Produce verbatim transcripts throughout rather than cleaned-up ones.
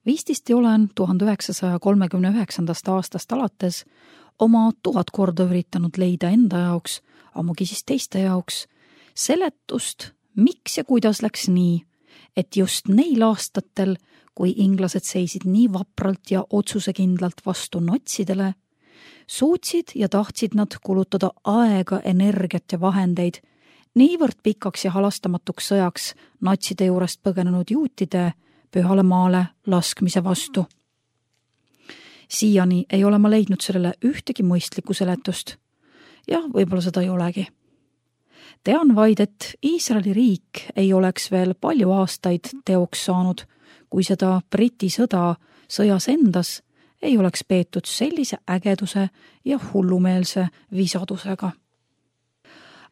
Vististi olen tuhande üheksasaja kolmekümne üheksandast aastast alates oma tuhat korda üritanud leida enda jaoks, ammugi siis teiste jaoks, seletust, miks ja kuidas läks nii, et just neil aastatel, kui inglased seisid nii vapralt ja otsusekindlalt vastu natsidele, suutsid ja tahtsid nad kulutada aega, energiat ja vahendeid niivõrd pikaks ja halastamatuks sõjaks natside juurest põgenenud juutide pühale maale laskmise vastu. Siiani ei ole ma leidnud sellele ühtegi mõistlikku seletust ja võib-olla seda ei olegi. Tean vaid, et Iisraeli riik ei oleks veel palju aastaid teoks saanud, kui seda Briti sõda sõjas endas ei oleks peetud sellise ägeduse ja hullumeelse visadusega.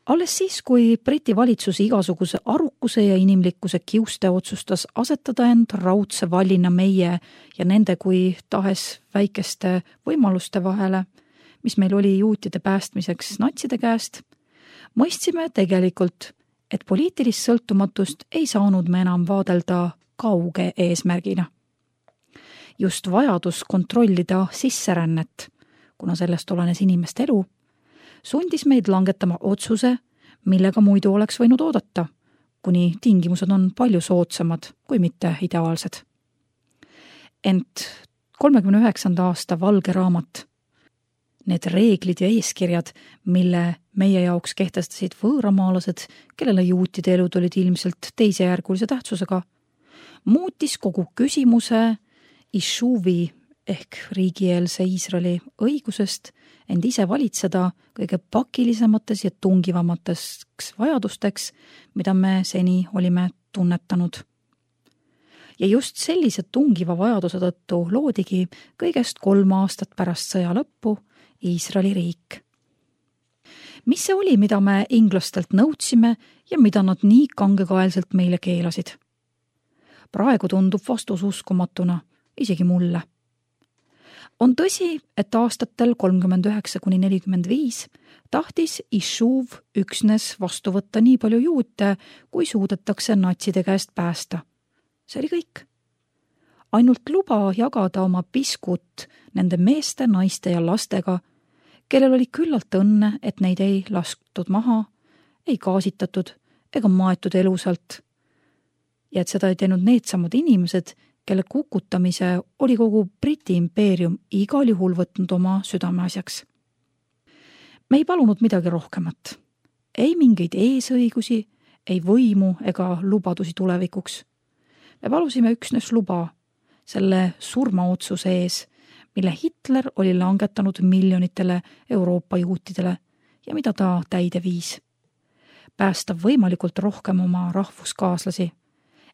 Alles siis, kui Briti valitsus igasuguse arukuse ja inimlikkuse kiuste otsustas asetada end raudse vallina meie ja nende kui tahes väikeste võimaluste vahele, mis meil oli juutide päästmiseks natside käest, mõistsime tegelikult, et poliitilist sõltumatust ei saanud me enam vaadelda kauge eesmärgina. Just vajadus kontrollida sisserännet, kuna sellest olenes inimeste elu, sundis meid langetama otsuse, millega muidu oleks võinud oodata, kuni tingimused on palju soodsamad kui mitte ideaalsed. Ent kolmekümne üheksanda aasta valge raamat, need reeglid ja eeskirjad, mille meie jaoks kehtestasid võõramaalased, kellele juutide elud olid ilmselt teisejärgulise tähtsusega, muutis kogu küsimuse Ishuvi ehk riigieelse Iisraeli õigusest end ise valitseda kõige pakilisemates ja tungivamateks vajadusteks, mida me seni olime tunnetanud. Ja just sellise tungiva vajaduse tõttu loodigi kõigest kolm aastat pärast sõja lõppu Iisraeli riik. Mis see oli, mida me inglastelt nõudsime ja mida nad nii kangekaelselt meile keelasid? Praegu tundub vastus uskumatuna, isegi mulle. On tõsi, et aastatel kolmkümmend üheksa kuni nelikümmend viis tahtis Ishuv üksnes vastu võtta nii palju juute, kui suudetakse natside käest päästa. See oli kõik. Ainult luba jagada oma piskut nende meeste, naiste ja lastega, kellel oli küllalt õnne, et neid ei lastud maha, ei gaasitatud ega maetud elusalt. Ja et seda ei teinud needsamad inimesed, kelle kukutamise oli kogu Briti impeerium igal juhul võtnud oma südameasjaks. Me ei palunud midagi rohkemat. Ei mingeid eesõigusi, ei võimu ega lubadusi tulevikuks. Me palusime üksnes luba selle surmaotsuse ees, mille Hitler oli langetanud miljonitele Euroopa juutidele ja mida ta täide viis. Päästa võimalikult rohkem oma rahvuskaaslasi,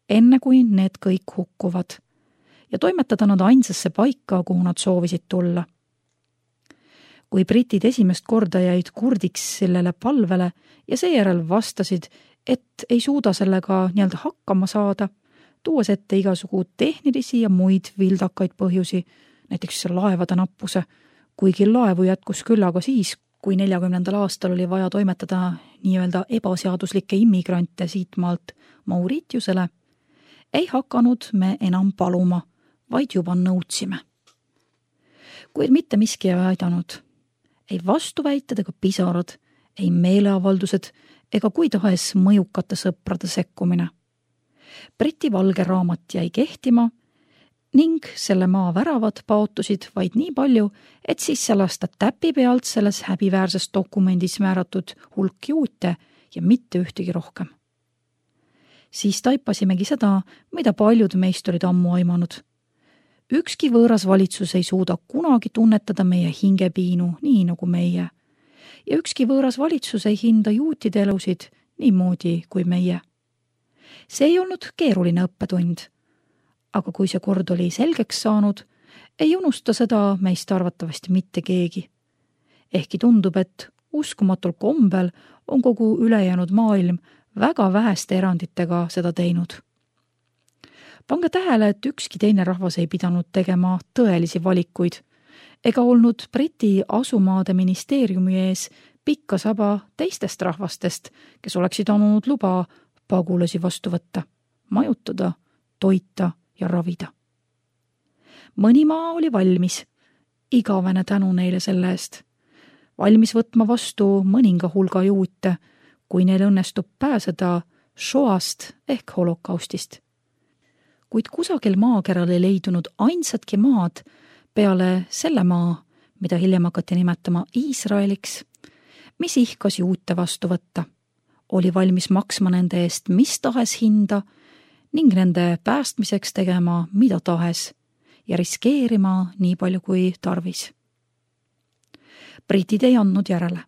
enne kui need kõik hukkuvad, ja toimetada nad ainsasse paika, kuhu nad soovisid tulla. Kui britid esimest korda jäid kurdiks sellele palvele ja seejärel vastasid, et ei suuda sellega nii-öelda hakkama saada, tuues ette igasugu tehnilisi ja muid vildakaid põhjusi, näiteks laevade nappuse, kuigi laevu jätkus küllaga siis, kui neljakümnendal aastal oli vaja toimetada nii-öelda ebaseaduslikke immigrante siitmaalt Mauritiusele, ei hakanud me enam paluma, vaid juba nõudsime. Kuid mitte miski ei aidanud. Ei vastuväited ega pisarad, ei meeleavaldused ega kui tahes mõjukate sõprade sekkumine. Briti valge raamat jäi kehtima ning selle maa väravad paotusid vaid nii palju, et sisse lasta täpi pealt selles häbiväärses dokumendis määratud hulk juute ja mitte ühtegi rohkem. Siis taipasimegi seda, mida paljud meist olid ammu aimanud. Ükski võõras valitsus ei suuda kunagi tunnetada meie hingepiinu nii nagu meie. Ja ükski võõras valitsus ei hinda juutide elusid niimoodi kui meie. See ei olnud keeruline õppetund. Aga kui see kord oli selgeks saanud, ei unusta seda meist arvatavasti mitte keegi. Ehkki tundub, et uskumatul kombel on kogu ülejäänud maailm väga väheste eranditega seda teinud. Pange tähele, et ükski teine rahvas ei pidanud tegema tõelisi valikuid ega olnud Briti asumaade ministeeriumi ees pikka saba teistest rahvastest, kes oleksid andnud luba pagulasi vastu võtta, majutada, toita ja ravida. mõni maa oli valmis, igavene tänu neile selle eest, valmis võtma vastu mõninga hulga juute, kui neil õnnestub pääseda Shoast ehk holokaustist. Kuid kusagil maakeral ei leidunud ainsatki maad peale selle maa, mida hiljem hakati nimetama Iisraeliks, mis ihkas juute vastu võtta, oli valmis maksma nende eest mis tahes hinda ning nende päästmiseks tegema mida tahes ja riskeerima nii palju kui tarvis. Britid ei andnud järele.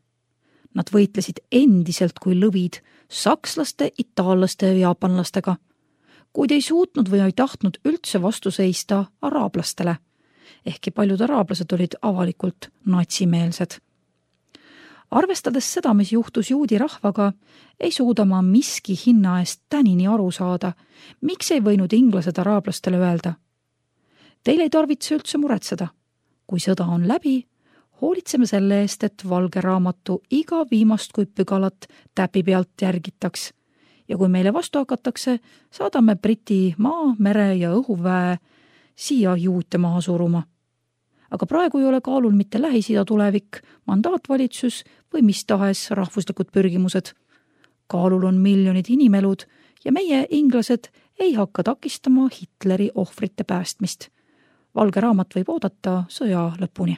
Nad võitlesid endiselt kui lõvid sakslaste, itaallaste ja jaapanlastega, kuid ei suutnud või ei tahtnud üldse vastu seista araablastele, ehkki paljud araablased olid avalikult natsimeelsed. Arvestades seda, mis juhtus juudi rahvaga, ei suuda ma miski hinna eest tänini aru saada, miks ei võinud inglased araablastele öelda. Teil ei tarvitse üldse muretseda. Kui sõda on läbi, hoolitseme selle eest, et valge raamatu iga viimast kui pügalat täpi pealt järgitaks ja kui meile vastu hakatakse, saadame Briti maa, mere ja õhuväe siia juute maha suruma. Aga praegu ei ole kaalul mitte Lähis-Ida tulevik, mandaatvalitsus või mis tahes rahvuslikud pürgimused. Kaalul on miljonid inimelud ja meie, inglased, ei hakka takistama Hitleri ohvrite päästmist. Valge raamat võib oodata sõja lõpuni.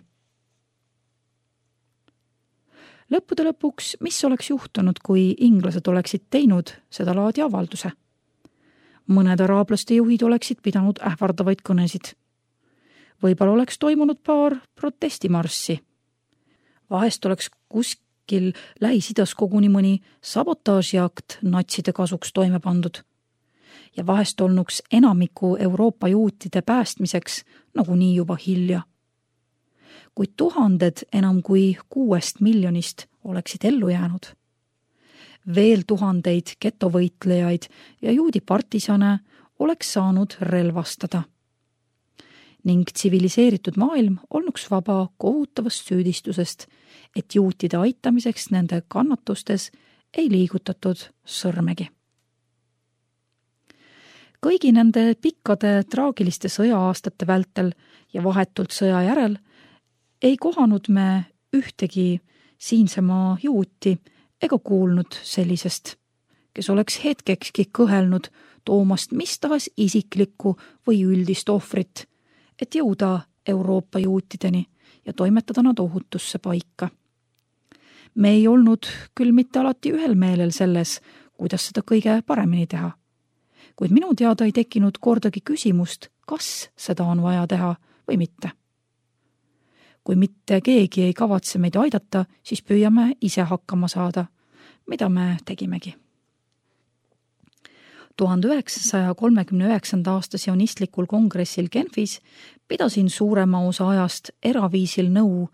Lõppude lõpuks, mis oleks juhtunud, kui inglased oleksid teinud seda laadi avalduse? Mõned araablaste juhid oleksid pidanud ähvardavaid kõnesid. Võib-olla oleks toimunud paar protestimarssi. Vahest oleks kuskil Lähis-Idas koguni mõni sabotaažiakt natside kasuks toime pandud. Ja vahest olnuks enamiku Euroopa juutide päästmiseks nagunii juba hilja. Kuid tuhanded enam kui kuuest miljonist oleksid ellu jäänud. Veel tuhandeid getovõitlejaid ja juudi partisane oleks saanud relvastada. Ning tsiviliseeritud maailm olnuks vaba kohutavast süüdistusest, et juutide aitamiseks nende kannatustes ei liigutatud sõrmegi. Kõigi nende pikkade traagiliste sõja-aastate vältel ja vahetult sõja järel ei kohanud me ühtegi siinsemaa juuti ega kuulnud sellisest, kes oleks hetkekski kõhelnud toomast mis tahes isiklikku või üldist ohvrit, et jõuda Euroopa juutideni ja toimetada nad ohutusse paika. Me ei olnud küll mitte alati ühel meelel selles, kuidas seda kõige paremini teha. Kuid minu teada ei tekkinud kordagi küsimust, kas seda on vaja teha või mitte. Kui mitte keegi ei kavatse meid aidata, siis püüame ise hakkama saada, mida me tegimegi. tuhande üheksasaja kolmekümne üheksanda aasta sionistlikul kongressil Genfis pidasin suurema osa ajast eraviisil nõu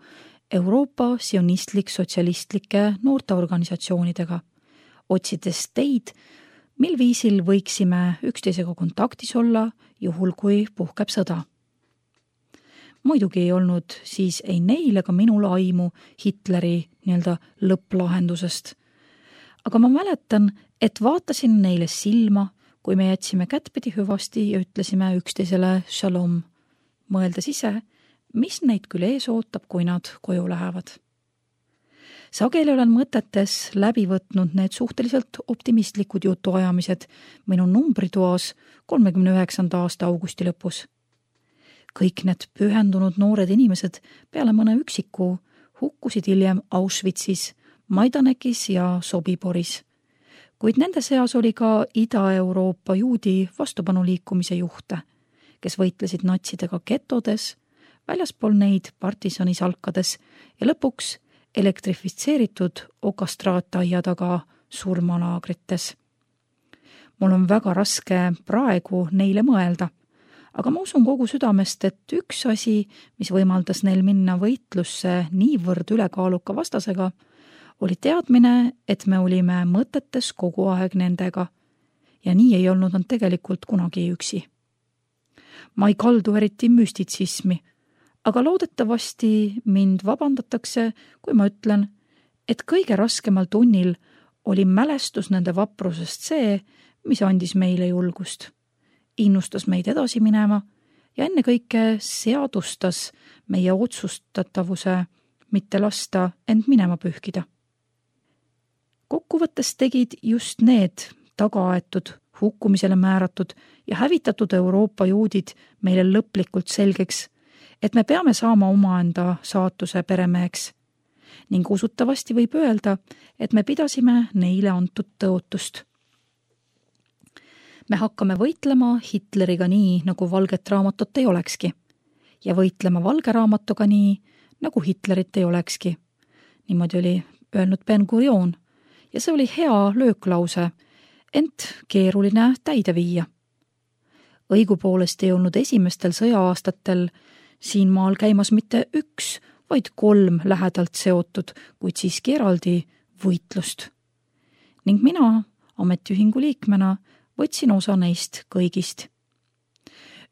Euroopa sionistlik-sotsialistlike noorteorganisatsioonidega, otsides teid, mil viisil võiksime üksteisega kontaktis olla, juhul kui puhkeb sõda. Muidugi ei olnud siis ei neil ega minul aimu Hitleri nii-öelda lõpplahendusest. Aga ma mäletan, et vaatasin neile silma, kui me jätsime kättpidi hüvasti ja ütlesime üksteisele shalom, mõeldes ise, mis neid küll ees ootab, kui nad koju lähevad. Sageli olen mõtetes läbi võtnud need suhteliselt optimistlikud jutuajamised minu numbritoas kolmekümne üheksanda aasta augusti lõpus. Kõik need pühendunud noored inimesed peale mõne üksiku hukkusid hiljem Auschwitzis, Maidanekis ja Sobiboris. Kuid nende seas oli ka Ida-Euroopa juudi vastupanuliikumise juhte, kes võitlesid natsidega getodes, väljaspool neid partisanisalkades ja lõpuks elektrifitseeritud okastraattaia taga surmalaagrites. Mul on väga raske praegu neile mõelda, aga ma usun kogu südamest, et üks asi, mis võimaldas neil minna võitlusse niivõrd ülekaaluka vastasega, oli teadmine, et me olime mõtetes kogu aeg nendega ja nii ei olnud nad tegelikult kunagi üksi. Ma ei kaldu eriti müstitsismi, aga loodetavasti mind vabandatakse, kui ma ütlen, et kõige raskemal tunnil oli mälestus nende vaprusest see, mis andis meile julgust, innustas meid edasi minema ja ennekõike seadustas meie otsustatavuse mitte lasta end minema pühkida. Kokkuvõttes tegid just need tagaaetud, hukkumisele määratud ja hävitatud Euroopa juudid meile lõplikult selgeks, et me peame saama omaenda saatuse peremeheks ning usutavasti võib öelda, et me pidasime neile antud tõotust. Me hakkame võitlema Hitleriga nii, nagu valget raamatut ei olekski ja võitlema valge raamatuga nii, nagu Hitlerit ei olekski. Niimoodi oli öelnud Ben-Gurion ja see oli hea lööklause, ent keeruline täide viia. Õigupoolest ei olnud esimestel sõja-aastatel siin maal käimas mitte üks, vaid kolm lähedalt seotud, kuid siiski eraldi võitlust. Ning mina ametiühingu liikmena võtsin osa neist kõigist.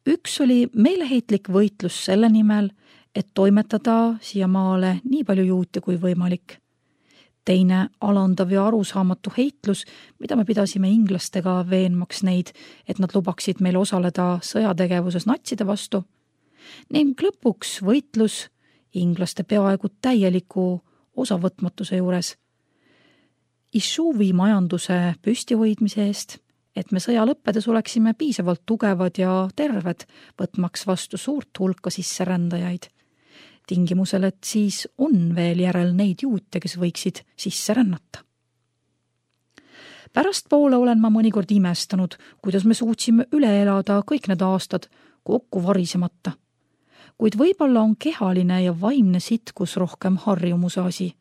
Üks oli meeleheitlik võitlus selle nimel, et toimetada siia maale nii palju juute kui võimalik. Teine alandav ja arusaamatu heitlus, mida me pidasime inglastega veenmaks neid, et nad lubaksid meil osaleda sõjategevuses natside vastu. Ning lõpuks võitlus inglaste peaaegu täieliku osavõtmatuse juures. Issuvi majanduse püstihoidmise eest, et me sõja lõppedes oleksime piisavalt tugevad ja terved, võtmaks vastu suurt hulka sisserändajaid. Tingimusel, et siis on veel järel neid juute, kes võiksid sisse rännata. Pärast poole olen ma mõnikord imestanud, kuidas me suutsime üle elada kõik need aastad kokku varisemata. Kuid võib-olla on kehaline ja vaimne sitkus rohkem harjumuse asi.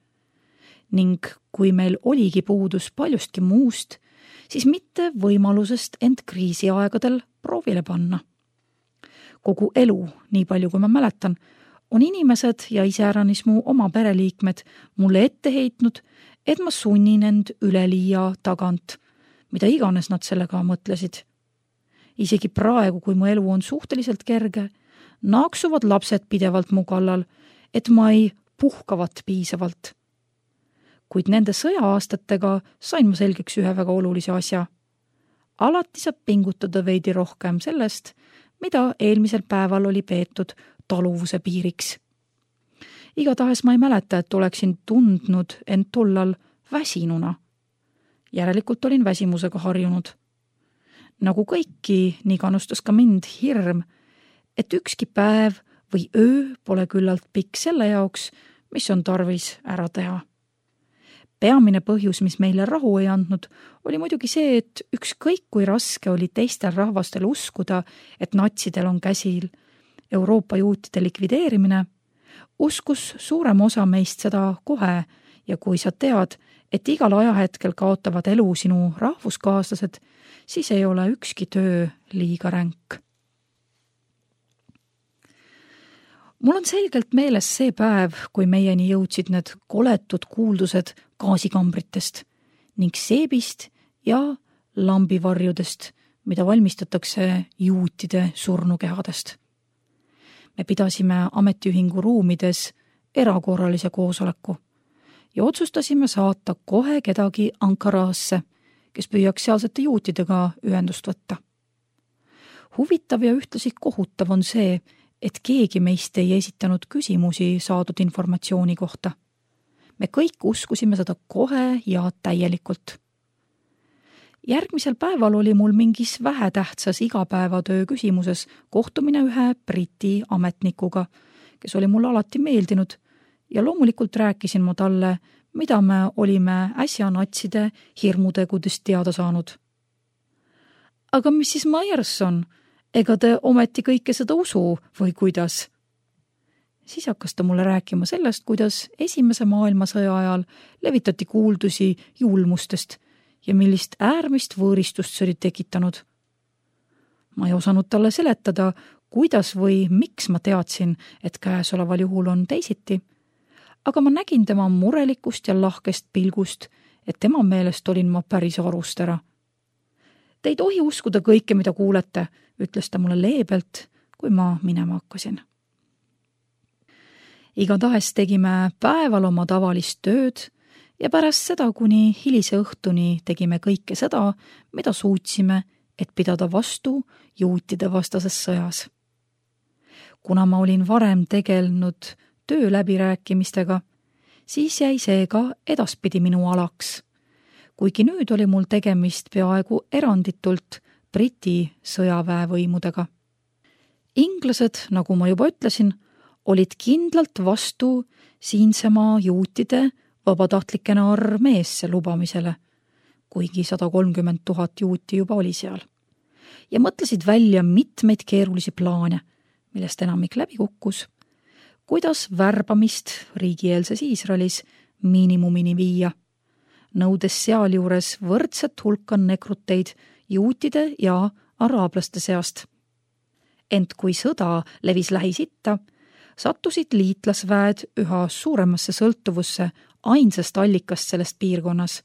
Ning kui meil oligi puudus paljustki muust, siis mitte võimalusest end kriisiaegadel proovile panna. Kogu elu, nii palju kui ma mäletan, on inimesed ja iseäranis mu oma pereliikmed mulle ette heitnud, et ma sunnin end üleliia tagant, mida iganes nad sellega mõtlesid. Isegi praegu, kui mu elu on suhteliselt kerge, naaksuvad lapsed pidevalt mu kallal, et ma ei puhkavat piisavalt. Kuid nende sõja-aastatega sain ma selgeks ühe väga olulise asja. Alati saab pingutada veidi rohkem sellest, mida eelmisel päeval oli peetud taluvuse piiriks. Igatahes ma ei mäleta, et oleksin tundnud end tollal väsinuna. Järelikult olin väsimusega harjunud. Nagu kõiki, nii kannustas ka mind hirm, et ükski päev või öö pole küllalt pikk selle jaoks, mis on tarvis ära teha. Peamine põhjus, mis meile rahu ei andnud, oli muidugi see, et ükskõik kui raske oli teistel rahvastel uskuda, et natsidel on käsil Euroopa juutide likvideerimine, uskus suurem osa meist seda kohe ja kui sa tead, et igal ajahetkel kaotavad elu sinu rahvuskaaslased, siis ei ole ükski töö liiga ränk. Mul on selgelt meeles see päev, kui meieni jõudsid need koletud kuuldused gaasikambritest ning seebist ja lambivarjudest, mida valmistatakse juutide surnukehadest. Me pidasime ametiühingu ruumides erakorralise koosoleku ja otsustasime saata kohe kedagi Ankaraasse, kes püüaks sealsete juutidega ühendust võtta. Huvitav ja ühtlasi kohutav on see, et keegi meist ei esitanud küsimusi saadud informatsiooni kohta. Me kõik uskusime seda kohe ja täielikult. Järgmisel päeval oli mul mingis vähetähtsas igapäevatöö küsimuses kohtumine ühe Briti ametnikuga, kes oli mulle alati meeldinud ja loomulikult rääkisin ma talle, mida me olime äsja natside hirmutegudest teada saanud. Aga missis Myerson, ega te ometi kõike seda usu või kuidas? Siis hakkas ta mulle rääkima sellest, kuidas esimese maailmasõja ajal levitati kuuldusi julmustest ja millist äärmist võõristust see oli tekitanud. Ma ei osanud talle seletada, kuidas või miks ma teadsin, et käesoleval juhul on teisiti, aga ma nägin tema murelikust ja lahkest pilgust, et tema meelest olin ma päris arust ära. Te ei tohi uskuda kõike, mida kuulete, ütles ta mulle leebelt, kui ma minema hakkasin. Igatahes tegime päeval oma tavalist tööd ja pärast seda kuni hilise õhtuni tegime kõike seda, mida suutsime, et pidada vastu juutide vastases sõjas. kuna ma olin varem tegelenud töö läbirääkimistega, siis jäi see ka edaspidi minu alaks. Kuigi nüüd oli mul tegemist peaaegu eranditult Briti sõjaväevõimudega. Inglased, nagu ma juba ütlesin, olid kindlalt vastu siinsemaa juutide vabatahtlikena armeesse lubamisele, kuigi sada kolmkümmend tuhat juuti juba oli seal, ja mõtlesid välja mitmeid keerulisi plaane, millest enamik läbi kukkus, kuidas värbamist riigieelses Iisraelis miinimumini viia, nõudes sealjuures võrdset hulka nekruteid juutide ja araablaste seast. Ent kui sõda levis Lähis-Itta, sattusid liitlasväed üha suuremasse sõltuvusse ainsast allikast sellest piirkonnas,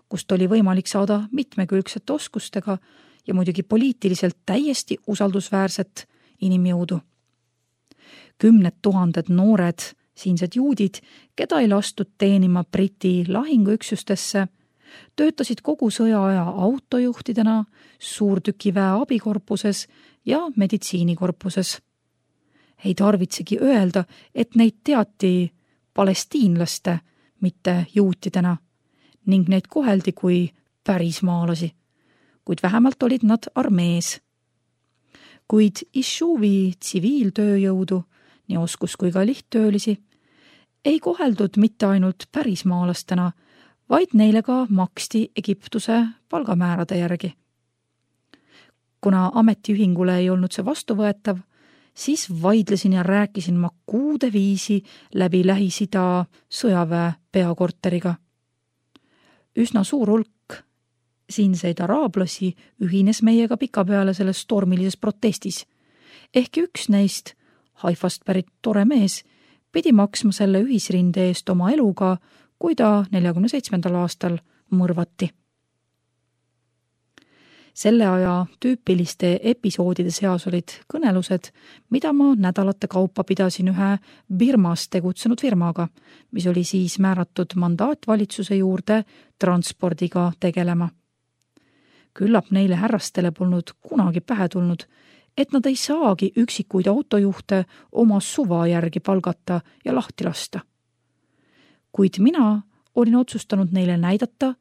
kust oli võimalik saada mitmekülgsete oskustega ja muidugi poliitiliselt täiesti usaldusväärset inimjõudu. Kümned tuhanded noored siinsed juudid, keda ei lastud teenima Briti lahinguüksustesse, töötasid kogu sõjaaja autojuhtidena, suurtükiväe abikorpuses ja meditsiinikorpuses. Ei tarvitsegi öelda, et neid teati palestiinlaste, mitte juutidena, ning neid koheldi kui pärismaalasi, kuid vähemalt olid nad armees. Kuid Ishuvi tsiviiltööjõudu, nii oskus kui ka lihttöölisi, ei koheldud mitte ainult pärismaalastena, vaid neile ka maksti Egiptuse palgamäärade järgi. Kuna ametiühingule ei olnud see vastuvõetav, siis vaidlesin ja rääkisin ma kuude viisi läbi Lähis-Ida sõjaväe peakorteriga. Üsna suur hulk siinseid araablasi ühines meiega pikapeale selles tormilises protestis. Ehkki üks neist, Haifast pärit tore mees, pidi maksma selle ühisrinde eest oma eluga, kui ta neljakümne seitsmendal aastal mõrvati. Selle aja tüüpiliste episoodide seas olid kõnelused, mida ma nädalate kaupa pidasin ühe Birmas tegutsenud firmaga, mis oli siis määratud mandaatvalitsuse juurde transpordiga tegelema. Küllap neile härrastele polnud kunagi pähe tulnud, et nad ei saagi üksikuid autojuhte oma suva järgi palgata ja lahti lasta. Kuid mina olin otsustanud neile näidata,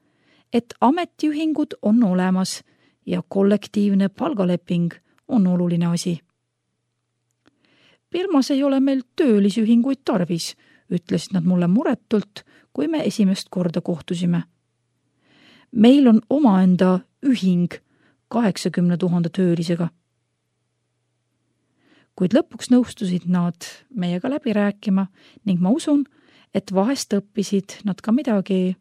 et ametiühingud on olemas ja kollektiivne palgaleping on oluline asi. Birmas ei ole meil töölisühinguid tarvis, ütlesid nad mulle muretult, kui me esimest korda kohtusime. Meil on omaenda ühing kaheksakümne tuhande töölisega. Kuid lõpuks nõustusid nad meiega läbi rääkima ning ma usun, et vahest õppisid nad ka midagi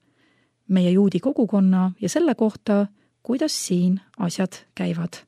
meie juudi kogukonna ja selle kohta, kuidas siin asjad käivad.